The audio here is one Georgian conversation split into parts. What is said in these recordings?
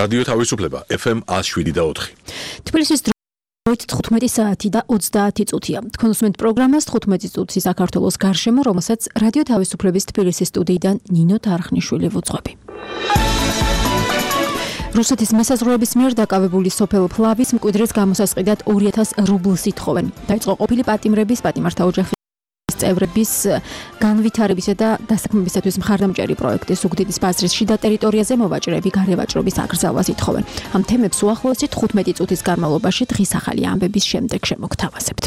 რადიო თავისუფლება FM 107.4. თბილისის დროით 15 საათი და 30 წუთია. თქვენ უსმენთ პროგრამას 15 წუთი საქართველოს გარშემო, რომელსაც რადიო თავისუფლების თბილისის სტუდიიდან ნინო თარხნიშვილი ვუძღვები. რუსეთის მესაზღვრეების მიერ დაკავებული სოფელ ფლავის მკვიდრის გამოსასყიდად 2000 რუბლს ითხოვენ. დაიწყო ყოფილი პატიმრების პატიმართა ოჯახის წევრების განვითარებისა და დასაქმებისათვის მხარდამჭერი პროექტის ზუგდიდის ბაზრის შიდა ტერიტორიაზე მოვაჭრეები გარევაჭრობის აკრძალვას ითხოვენ. ამ თემებს უახლოესი 15 წუთის განმავლობაში დღის ახალი ამბების შემდეგ შემოგთავაზებთ.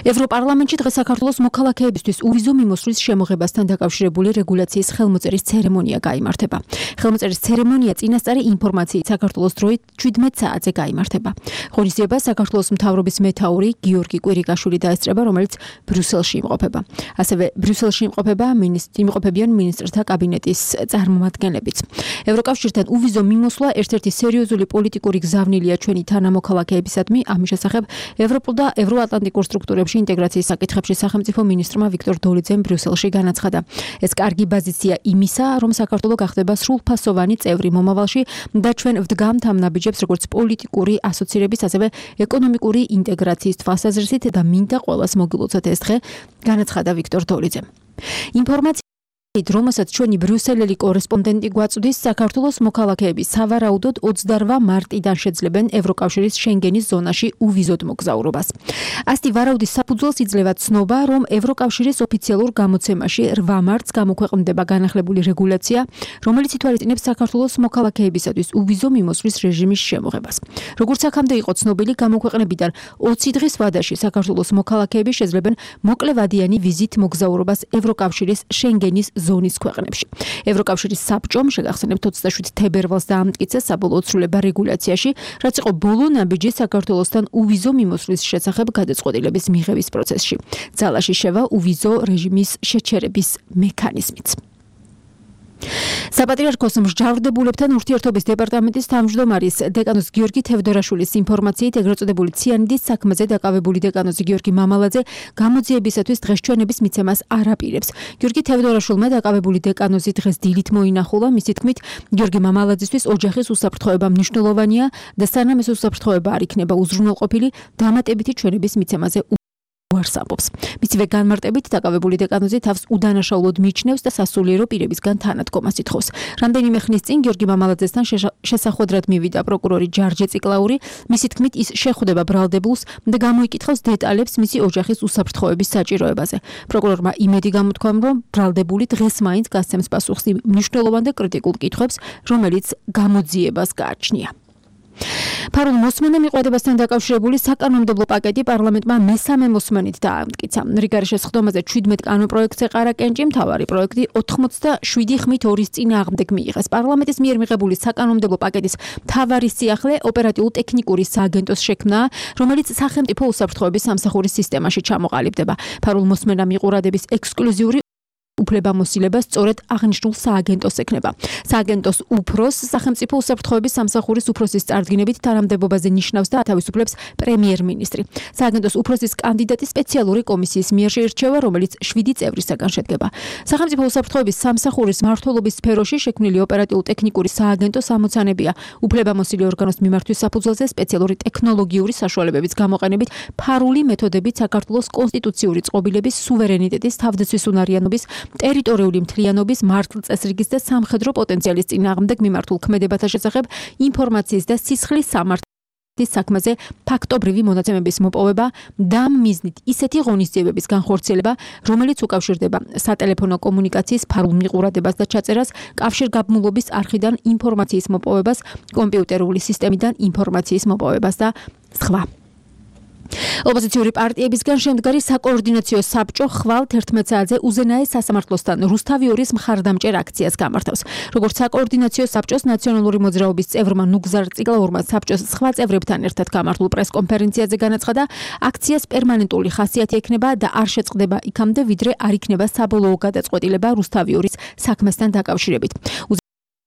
ევროპარლამენტში დღეს საქართველოს მოქალაქეებისთვის უვიზო მიმოსვლის შემოღებასთან დაკავშირებული რეგულაციის ხელმოწერის ცერემონია გაიმართება. ხელმოწერის ცერემონია წინასწარი ინფორმაციით საქართველოს დროით 17 საათზე გაიმართება. ღონისძიებას საქართველოს მთავრობის მეთაური გიორგი კვირიკაშვილი დაესწრება, რომელიც ბრიუსელში იმყოფება. ასევე ბრიუსელში იმყოფებიან მინისტრთა კაბინეტის წარმომადგენლებიც. ევროკავშირთან უვიზო მიმოსვლა ერთ-ერთი სერიოზული პოლიტიკური გზავნილია ჩვენი თანამოქალაქეებისადმი. ამის შესახებ ევროპულ და ევროატლანტიკურ სტრუქტურებში ინტეგრაციის საკითხებში სახელმწიფო მინისტრმა ვიქტორ დოლიძემ ბრიუსელში განაცხადა. ეს კარგი პოზიცია იმისა, რომ საქართველო გახდება სრულფასოვანი წევრი მომავალში და ჩვენ ვდგამთ ამ ნაბიჯებს როგორც პოლიტიკური ასოცირების, ასევე ეკონომიკური ინტეგრაციის თვალსაზრისით და მინდა ყველას მოგილოცოთ ეს დღე, განაცხადა ვიქტორ დოლიძემ. რომელსაც ჩვენი ბრიუსელელი კორესპონდენტი გვაწვდის, საქართველოს მოქალაქეები სავარაუდოდ 28 მარტიდან შეძლებენ ევროკავშირის შენგენის ზონაში უვიზოდ მოგზაურობას. ასეთი ვარაუდის საფუძველს იძლევა ცნობა, რომ ევროკავშირის ოფიციალურ გამოცემაში 8 მარტს გამოქვეყნდება განახლებული რეგულაცია, რომელიც ითვალისწინებს საქართველოს მოქალაქეებისათვის უვიზო მიმოსვლის რეჟიმის შემოღებას. როგორც აქამდე იყო ცნობილი, გამოქვეყნებიდან 20 დღის ვადაში საქართველოს მოქალაქეები შეძლებენ მოკლევადიანი ვიზით მოგზაურობას ევროკავშირის შენგენის ზონის ქვეყნებში. ევროკავშირის საბჭომ შეგახსენებთ 27 თებერვალს დაამტკიცა საბოლოო ცვლილება რეგულაციაში, რაც იყო ბოლო ნაბიჯი საქართველოსთან უვიზო მიმოსვლის შესახებ გადაწყვეტილების მიღების პროცესში. ძალაში შევა უვიზო რეჟიმის შეჩერების მექანიზმიც. საპატრიარქოს მსჯავრდებულებთან ურთიერთობის დეპარტამენტის თავმჯდომარის დეკანოზ გიორგი თევდორაშვილის ინფორმაციით, ეგრეთ წოდებული ციანიდის საქმეზე დაკავებული დეკანოზი გიორგი მამალაძე გამოძიებისათვის დღესჩვენების მიცემას არ აპირებს. გიორგი თევდორაშვილმა დაკავებული დეკანოზი დღეს დილით მოინახულა. მისი თქმით, გიორგი მამალაძისთვის ოჯახის უსაფრთხოება მნიშვნელოვანია და სანამ ეს უსაფრთხოება არ იქნება უზრუნველყოფილი, დამატებითი ჩვენების მიცემაზე უარს ამბობს. მისივე განმარტებით დაკავებული დეკანოზი თავს უდანაშაულოდ მიიჩნევს და სასულიერო პირებისგან თანადგომას ითხოვს. რამდენიმე ხნის წინ გიორგი მამალაძესთან შესახვედრად მივიდა პროკურორი ჯარჯე ციკლაური. მისი თქმით, ის შეხვდება ბრალდებულს და გამოიკითხავს დეტალებს მისი ოჯახის უსაფრთხოების საჭიროებაზე. პროკურორმა იმედი გამოთქვა, რომ ბრალდებული დღეს მაინც გასცემს პასუხს იმ მნიშვნელოვან და კრიტიკულ კითხვებს, რომელიც გამოძიებას გააჩნია. ფარულ მოსმენამ მიყოდებასთან დაკავშირებული საკანონმდებლო პაკეტი პარლამენტმა მესამე მოსმენით დაამტკიცა. რიგარი შესხდომაზე 17 კანონპროექტს ეყარა კენჭი, მთავარი პროექტი 87 ხმით 2-ის წინააღმდეგ მიიღეს. პარლამენტის მიერ მიღებული საკანონმდებლო პაკეტის მთავარი სიახლე ოპერატიულ-ტექნიკური სააგენტოს შექმნაა, რომელიც სახელმწიფო უსაფრთხოების სამსახურის სისტემაში ჩამოყალიბდება. ფარულ მოსმენამ მიყურადების ექსკლუზიური უფლებამოსილება სწორედ აღნიშნულ სააგენტოს ექნება. სააგენტოს უფროს სახელმწიფო უსაფრთხოების სამსახურის უფროსის წარდგინებით თანამდებობაზე ნიშნავს და ათავისუფლებს პრემიერ-მინისტრი. სააგენტოს უფროსის კანდიდატი სპეციალური კომისიის მიერ შეირჩევა, რომელიც 7 წევრისაგან შედგება. სახელმწიფო უსაფრთხოების სამსახურის მმართველობის სფეროში შექმნილი ოპერატიულ-ტექნიკური სააგენტოს ამოცანებია უფლებამოსილი ორგანოს მიმართვის საფუძველზე სპეციალური ტექნოლოგიური საშუალებების გამოყენებით ფარული მეთოდებით საქართველოს კონსტიტუციური წყობილების, სუვერენიტეტის, თავდაცვის უნარიანობის, ტერიტორიული მთლიანობის, მართლწესრიგის და სამხედრო პოტენციალის წინააღმდეგ მიმართულ ქმედებათა შესახებ ინფორმაციის და სისხლის სამართლის საქმეზე ფაქტობრივი მონაცემების მოპოვება და ამ მიზნით ისეთი ღონისძიებების განხორციელება, რომელიც უკავშირდება სატელეფონო კომუნიკაციის ფარულ მიყურადებას და ჩაწერას, კავშირგაბმულობის არხიდან ინფორმაციის მოპოვებას, კომპიუტერული სისტემიდან ინფორმაციის მოპოვებას და სხვა. ოპოზიციური პარტიებისგან შემდგარი საკოორდინაციო საბჭო ხვალ 11 საათზე უზენაეს სასამართლოსთან რუსთავი-2-ის მხარდამჭერ აქციას გამართავს. როგორც საკოორდინაციო საბჭოს ნაციონალური მოძრაობის წევრმა ნუგზარ ციკლაურმა საბჭოს სხვა წევრებთან ერთად გამართულ პრესკონფერენციაზე განაცხადა, აქციას პერმანენტული ხასიათი ექნება და არ შეწყდება იქამდე, ვიდრე არ იქნება საბოლოო გადაწყვეტილება რუსთავი-2-ის საქმესთან დაკავშირებით.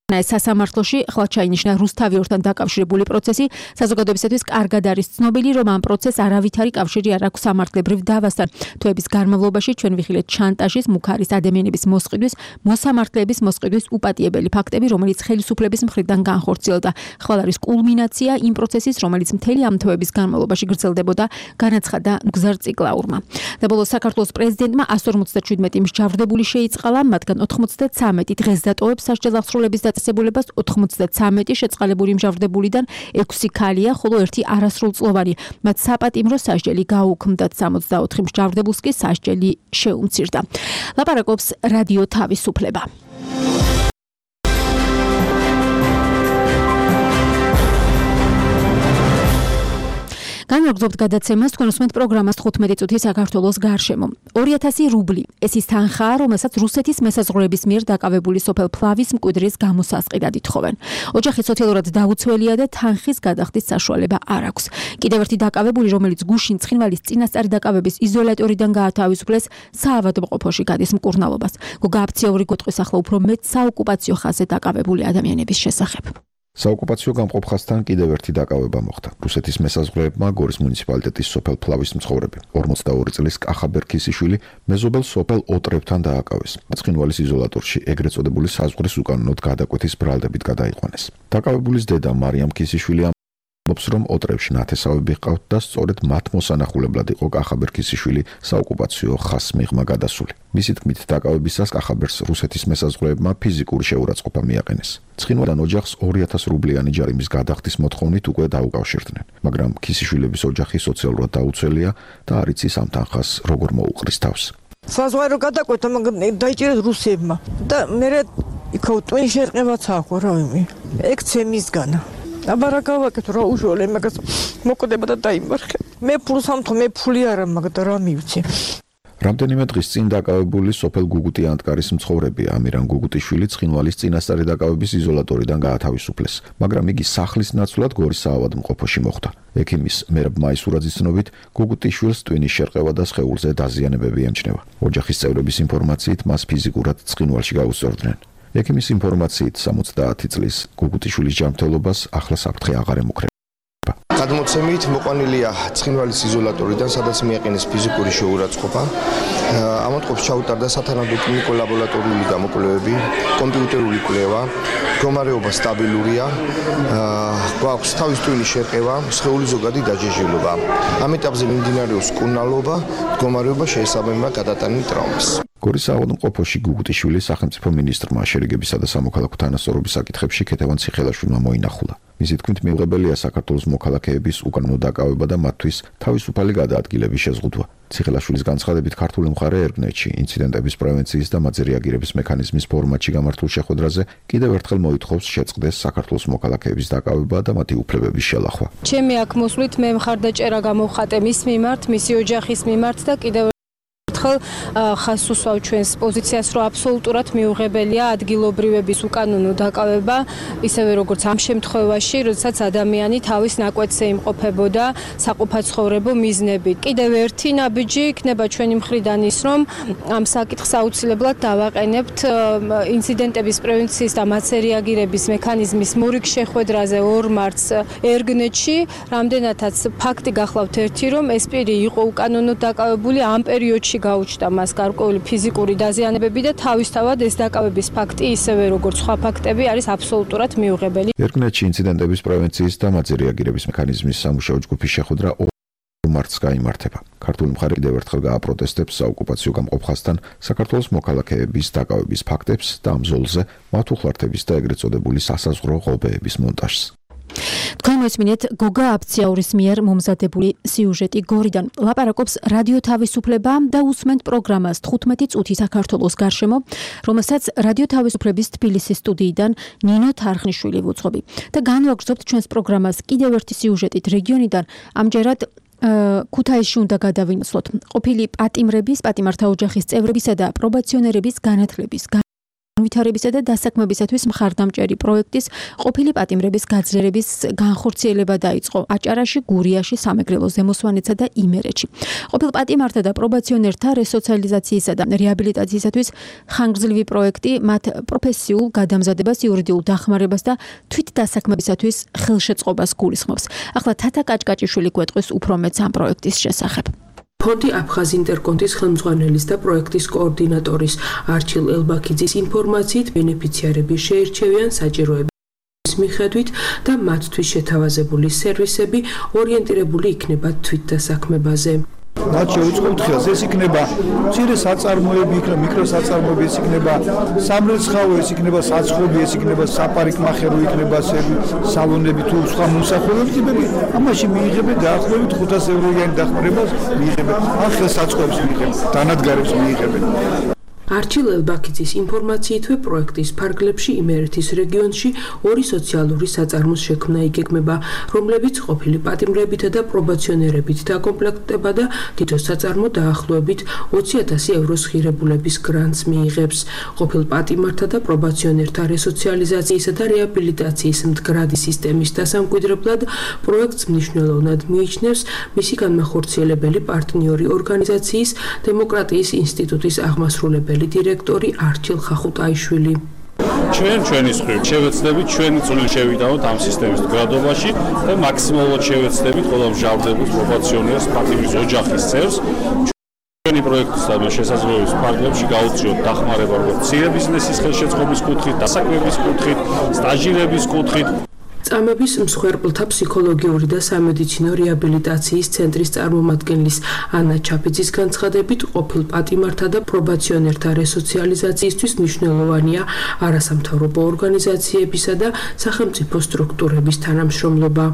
სასამართლოში ახლა ჩაინიშნა რუსთავიორთან დაკავშირებული პროცესი. საზოგადოებისათვის კარგად არის ცნობილი, რომ ამ პროცესს არავითარი კავშირი არ აქვს სამართლებრივ დავასთან. თვეების განმავლობაში ჩვენ ვიხილეთ შანტაჟის, მუქარის ადამიანების მოსყიდვის, მოსამართლეების მოსყიდვის უპატიებელი ფაქტები, რომელიც ხელისუფლების მხრიდან განხორციელდა. ხვალ არის კულმინაცია იმ პროცესის, რომელიც მთელი ამ თვეების განმავლობაში გრძელდებოდა, განაცხადა მგზარ ციკლაურმა. და ბოლოს საქართველოს პრეზიდენტმა 157 მსჯავრდებული შეიწყალა, მათგან 93 დღეს დატოვებს სასჯელ აღსრულების დაწესებულებას, 93 შეწყალებული მსჯავრდებულიდან 6 ქალია, ხოლო 1 არასრულწლოვანი. მათ საპატიმრო სასჯელი გაუქმდათ, 64 მსჯავრდებულს კი სასჯელი შეუმცირდა. ლაპარაკობს რადიო თავისუფლება. განვაგრძობთ გადაცემას, თქვენ უსმენთ პროგრამას 15 წუთი საქართველოს გარშემო. 2000 რუბლი. ეს ის თანხაა, რომელსაც რუსეთის მესაზღვრეების მიერ დაკავებული სოფელ ფლავის მკვიდრის გამოსასყიდად ითხოვენ. ოჯახი სოციალურად დაუცველია და თანხის გადახდის საშუალება არ აქვს. კიდევ ერთი დაკავებული, რომელიც გუშინ ცხინვალის წინასწარი დაკავების იზოლატორიდან გაათავისუფლეს, საავადმყოფოში გადის მკურნალობას. გოგა აფციაური გეტყვის ახლა უფრო მეტ საოკუპაციო ხაზზე დაკავებული ადამიანების შესახებ. საოკუპაციო გამყოფ ხაზთან კიდევ ერთი დაკავება მოხდა. რუსეთის მესაზღვრეებმა გორის მუნიციპალიტეტის სოფელ ფლავის მცხოვრები 42 წლის კახაბერ ქისიშვილი მეზობელ სოფელ ოტრებთან დააკავეს. ცხინვალის იზოლატორში ეგრეთ წოდებული საზღვრის უკანონოდ გადაკვეთის ბრალდებით გადაიყვანეს. დაკავებულის დედა მარიამ ქისიშვილი ამბობს, რომ ოტრებში ნათესავები ჰყავთ და სწორედ მათ მოსანახულებლად იყო კახაბერ ქისიშვილი საოკუპაციო ხაზს მიღმა გადასული. მისი თქმით, დაკავებისას კახაბერს რუსეთის მესაზღვრეებმა ფიზიკური შეურაცხყოფა მიაყენეს. ცხინვალიდან ოჯახს 2000 რუბლიანი ჯარიმის გადახდის მოთხოვნით უკვე დაუკავშირდნენ, მაგრამ ქისიშვილების ოჯახი სოციალურად დაუცველია და არ იცის ამ თანხას როგორ მოუყრის თავს. საზღვარო გადაკვეთა, მაგრამ დაიჭირეს რუსებმა და მე იქ ტვინი შერყევაც აქვს რავი. ექცემისგანა. აბარა გავაკეთო რა უშუალო მაგას მოკვდება და დაიმარხე. მე ფულს ამთო მე ფული არა მაგ და რა მივცი. რამდენიმე დღის წინ დაკავებული სოფელ გუგუტი ანტკარის მცხოვრები ამირან გუგუტიშვილი ცხინვალის წინასწარი დაკავების იზოლატორიდან გაათავისუფლეს, მაგრამ იგი სახლის ნაცვლად გორის საავადმყოფოში მოხვდა. ექიმის მერაბ მაისურაძის ცნობით, გუგუტიშვილს ტვინის შერყევა და სხეულზე დაზიანებები ემჩნევა. ოჯახის წევრების ინფორმაციით მას ფიზიკურად ცხინვალში გაუსწორდნენ. ექიმის ინფორმაციით 70 წლის გუგუტიშვილის ჯანმრთელობას ახლა საფრთხე აღარ ემუქრება. გადმოცემით მოყვანილია ცხინვალის იზოლატორიდან, სადაც მიაყენეს ფიზიკური შეურაცხყოფა. ამოტყობს ჩაუტარდა სათანადო კლინიკო ლაბორატორიული გამოკვლევები, კომპიუტერული კვლევა, მდგომარეობა სტაბილურია, გვაქვს თავის ტვინის შერყევა, სხეულის ზოგადი დაჯეჟილობა. ამ ეტაპზე მიმდინარეობს მკურნალობა, მდგომარეობა შეესაბამება გადატანილ ტრაუმას. გორის საავადმყოფოში გუგუტიშვილი სახელმწიფო მინისტრმა შერიგებისა და სამოქალაქო თანასწორობის საკითხებში ქეთევან ციხელაშვილმა მოინახულა. მისი თქმით, მიუღებელია საქართველოს მოქალაქეების უკანონო დაკავება და მათთვის თავისუფალი გადაადგილების შეზღუდვა. ციხელაშვილის განცხადებით, ქართული მხარე ერგნეტში ინციდენტების პრევენციის და მათზე რეაგირების მექანიზმის ფორმატში გამართულ შეხვედრაზე კიდევ ერთხელ მოითხოვს შეწყდეს საქართველოს მოქალაქეების დაკავება და მათი უფლებების შელახვა. ჩემი აქ მოსვლით მე მხარდაჭერა გამოვხატე მის მიმართ, მისი ოჯახის მიმართ და კიდევ ერთხელ ხაზს უსვავ ჩვენს პოზიციას, რომ აბსოლუტურად მიუღებელია ადგილობრივების უკანონო დაკავება, ისევე როგორც ამ შემთხვევაში, როდესაც ადამიანი თავის ნაკვეთზე იმყოფებოდა საყოფაცხოვრებო მიზნებით. კიდევ ერთი ნაბიჯი იქნება ჩვენი მხრიდან ის, რომ ამ საკითხს აუცილებლად დავაყენებთ ინციდენტების პრევენციის და მათზე რეაგირების მექანიზმის მორიგ შეხვედრაზე 2 მარტს ერგნეტში, რამდენადაც ფაქტი გახლავთ ერთი, რომ ეს პირი იყო უკანონოდ დაკავებული, ამ პერიოდში გაუჩნდა მას გარკვეული ფიზიკური დაზიანებები და თავისთავად ეს დაკავების ფაქტი, ისევე როგორც სხვა ფაქტები, არის აბსოლუტურად მიუღებელი. ერგნეტში ინციდენტების პრევენციის და მათზე რეაგირების მექანიზმის სამუშაო ჯგუფის შეხვედრა 2 მარტს გაიმართება. ქართული მხარე კიდევ ერთხელ გააპროტესტებს საოკუპაციო გამყოფ ხაზთან საქართველოს მოქალაქეების დაკავების ფაქტებს და ამ ზოლზე მათ უხლართების და ეგრეთ წოდებული სასაზღვრო ღობეების მონტაჟს. თქვენ მოისმინეთ გოგა აფციაურის მიერ მომზადებული სიუჟეტი გორიდან. ლაპარაკობს რადიო თავისუფლება და უსმენთ პროგრამას 15 წუთი საქართველოს გარშემო, რომელსაც რადიო თავისუფლების თბილისის სტუდიიდან ნინო თარხნიშვილი ვუძღობი. და განვაგრძობთ ჩვენს პროგრამას კიდევ ერთი სიუჟეტით რეგიონიდან. ამჯერად ქუთაისში უნდა გადავინაცვლოთ ყოფილი პატიმრების, პატიმართა ოჯახის წევრებისა და პრობაციონერების განათლების განვითარებისა და დასაქმებისათვის მხარდამჭერი პროექტის ყოფილი პატიმრების გაძლიერების განხორციელება დაიწყო აჭარაში, გურიაში, სამეგრელო ზემოსვანეთსა და იმერეთში. ყოფილ პატიმართა და პრობაციონერთა რესოციალიზაციისა და რეაბილიტაციისათვის ხანგრძლივი პროექტი მათ პროფესიულ გადამზადებას, იურიდიულ დახმარებას და თვით დასაქმებისათვის ხელშეწყობას გულისხმობს. ახლა თათა კაჭკაჭიშვილი გვეტყვის უფრო მეტს ამ პროექტის შესახებ. ფონდი აფხაზ ინტერკონტის ხელმძღვანელის და პროექტის კოორდინატორის არჩილ ელბაქიძის ინფორმაციით ბენეფიციარები შეირჩევიან საჭიროების მიხედვით და მათთვის შეთავაზებული სერვისები ორიენტირებული იქნება თვით დასაქმებაზე. მათ შეუწყობთ ხელს, ეს იქნება მცირე საწარმოები, იქნება მიკროსაწარმოები, ეს იქნება სამრეცხავო, ეს იქნება საცხობი, ეს იქნება საპარიკმახერო, იქნება სალონები თუ სხვა მომსახურების ტიპები. ამაში მიიღებენ დაახლოებით 500 ევროიანი დახმარებას მიიღებენ. ან ხელსაწყოებს მიიღებენ, დანადგარებს მიიღებენ. არჩილ ელბაქიძის ინფორმაციითვე პროექტის ფარგლებში იმერეთის რეგიონში 2 სოციალური საწარმოს შექმნა იგეგმება, რომლებიც ყოფილი პატიმრებითა და პრობაციონერებით დაკომპლექტდება და თითო საწარმო დაახლოებით 20,000 ევროს ღირებულების გრანტს მიიღებს. ყოფილ პატიმართა და პრობაციონერთა რესოციალიზაციისა და რეაბილიტაციის მდგრადი სისტემის დასამკვიდრებლად პროექტს მნიშვნელოვნად მიიჩნევს მისი განმახორციელებელი პარტნიორი ორგანიზაციის დემოკრატიის ინსტიტუტის აღმასრულებელი დირექტორი არჩილ ხახუტაიშვილი. ჩვენი მხრივ შევეცდებით ჩვენი წვლილი შევიტანოთ ამ სისტემის მდგრადობაში და მაქსიმალურად შევეცდებით ყველა მსჯავრდებულს, პრობაციონერს, პატიმრის ოჯახის წევრს ჩვენი პროექტის და შესაძლებლობის ფარგლებში გაუწიოთ დახმარება როგორც მცირე ბიზნესის ხელშეწყობის კუთხით, დასაქმების კუთხით, სტაჟირების კუთხით. წამების მსხვერპლთა ფსიქოლოგიური და სამედიცინო რეაბილიტაციის ცენტრის წარმომადგენლის ანა ჩაფიძის განცხადებით, ყოფილ პატიმართა და პრობაციონერთა რესოციალიზაციისთვის მნიშვნელოვანია არასამთავრობო ორგანიზაციებისა და სახელმწიფო სტრუქტურების თანამშრომლობა.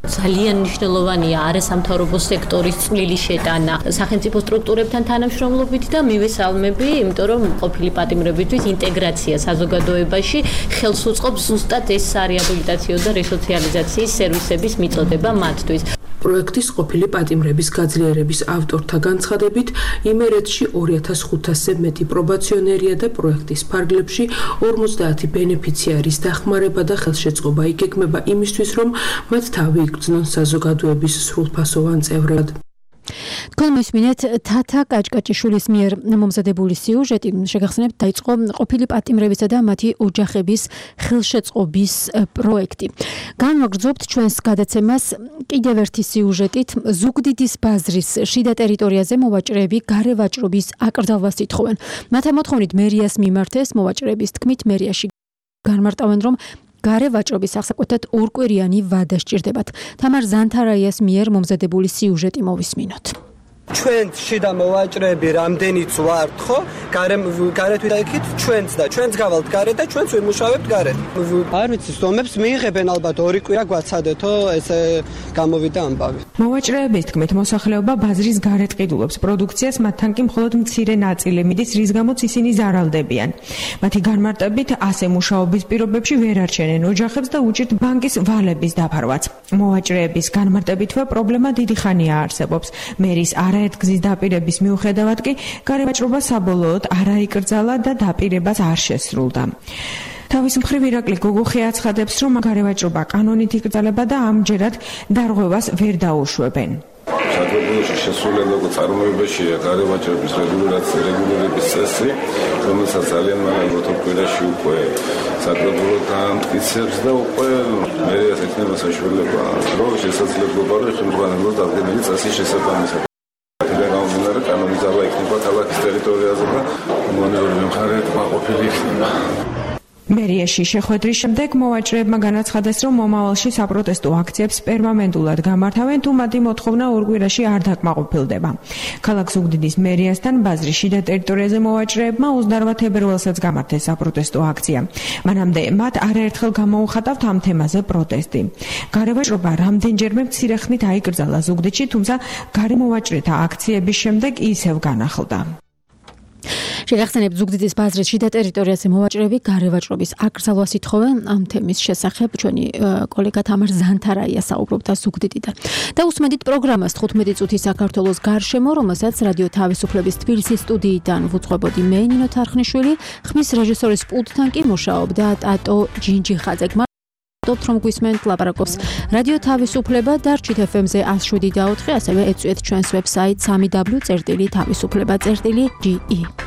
ძალიან მნიშვნელოვანია არასამთავრობო სექტორის წვლილი შეტანა სახელმწიფო სტრუქტურებთან თანამშრომლობით და მივესალმები, იმიტომ რომ ყოფილი პატიმრებისთვის ინტეგრაცია საზოგადოებაში ხელს უწყობს ზუსტად ეს რეაბილიტაციო და რესოციალიზაციის სერვისების მიწოდება მათთვის. პროექტის ყოფილი პატიმრების გაძლიერების ავტორთა განცხადებით, იმერეთში 2500-ზე მეტი პრობაციონერია და პროექტის ფარგლებში 50 ბენეფიციარის დახმარება და ხელშეწყობა იგეგმება იმისთვის, რომ მათ თავი იგრძნონ საზოგადოების სრულფასოვან წევრად. თქვენ მოსმინეთ თათა კაჭკაჭიშვილის მიერ მომზადებული სიუჟეტი, შეგახსენებთ, დაიწყო ყოფილი პატიმრებისა და მათი ოჯახების ხელშეწყობის პროექტი. განვაგრძობთ ჩვენს გადაცემას კიდევ ერთი სიუჟეტით. ზუგდიდის ბაზრის შიდა ტერიტორიაზე მოვაჭრეები გარე ვაჭრობის აკრძალვას ითხოვენ. მათი მოთხოვნით მერიას მიმართეს, მოვაჭრეების თქმით მერიაში განმარტავენ, რომ გარე ვაჭრობის ახსაკუთრად ორკვირიანი ვადა სჭირდებათ. თამარ ზანთარაიას მიერ მომზადებული სიუჟეტი მოვისმინოთ. ჩვენ შიდა მოვაჭრეები რამდენიც ვართ, ხო? გარეთ ვიდაიქით ჩვენც და ჩვენც გავალთ გარეთ და ჩვენც ვიმუშავებთ გარეთ. არ ვიცი, სტომებს მიიღებენ ალბათ 2 კვირა გვაცადეთო, ესე გამოვიდა ამბავი. მოვაჭრეების თქმით, მოსახლეობა ბაზრის გარეთ ყიდულობს პროდუქციას, მათთან კი მხოლოდ მცირე ნაწილი მიდის, რის გამოც ისინი ზარალდებიან. მათი განმარტებით, ასე მუშაობის პირობებში ვერ არჩენენ ოჯახებს და უჭირთ ბანკის ვალების დაფარვაც. მოვაჭრეების განმარტებითვე პრობლემა დიდი ხანია არსებობს. მერის არაერთგზის დაპირების მიუხედავად კი გარევაჭრობა საბოლოოდ არ აიკრძალა და დაპირებას არ შესრულდა. თავის მხრივ ირაკლი გოგოხი აცხადებს, რომ გარევაჭრობა კანონით იკრძალება და ამჯერად დარღვევას ვერ დაუშვებენ. საქართველოში შესრულებულ წარმოებაშია გარევაჭრების რეგულირების წესი, რომელსაც ძალიან მალე მოთხოვნაში უკვე საკრებულო გამტკიცებს და უკვე მერიას ექნება საშუალება, რომ შესაძლებლობა რომ ხელმძღვანელოს დადგენილი წესის შესაბამისად კანონიზება იქნება ქალაქის ტერიტორიაზე და მონერალური მხარეებმა ყოფილი იქნება. მერიაში შეხვედრის შემდეგ მოვაჭრეებმა განაცხადეს, რომ მომავალში საპროტესტო აქციებს პერმანენტულად გამართავენ, თუ მათი მოთხოვნა 2 კვირაში არ დაკმაყოფილდება. ქალაქ ზუგდიდის მერიასთან ბაზრის შიდა ტერიტორიაზე მოვაჭრეებმა 28 თებერვალსაც გამართეს საპროტესტო აქცია. მანამდე მათ არაერთხელ გამოუხატავთ ამ თემაზე პროტესტი. გარევაჭრობა რამდენჯერმე მცირე ხნით აიკრძალა ზუგდიდში, თუმცა გარემოვაჭრეთა აქციების შემდეგ ისევ განახლდა. შეგახსენებთ ზუგდიდის ბაზრის შიდა ტერიტორიაზე მოვაჭრეები გარევაჭრობის აკრძალვას ითხოვენ ამ თემის შესახებ ჩვენი კოლეგა თამარ ზანთარაია საუბრობდა ზუგდიდიდან. და უსმენთ პროგრამას 15 წუთი საქართველოს გარშემო, რომელსაც რადიო თავისუფლების თბილისის სტუდიიდან ვუძღვებოდი მე ნინო თარხნიშვილი, ხმის რეჟისორის პულტთან კი მუშაობდა ტატო ჯინჯიხაძე. გმადლობთ რომ გვისმენთ, ლაპარაკობს რადიო თავისუფლება და რჩით FM-ზე 107.4, ასევე ეწვიეთ ჩვენს ვებსაიტს www.თავისუფლება.ge.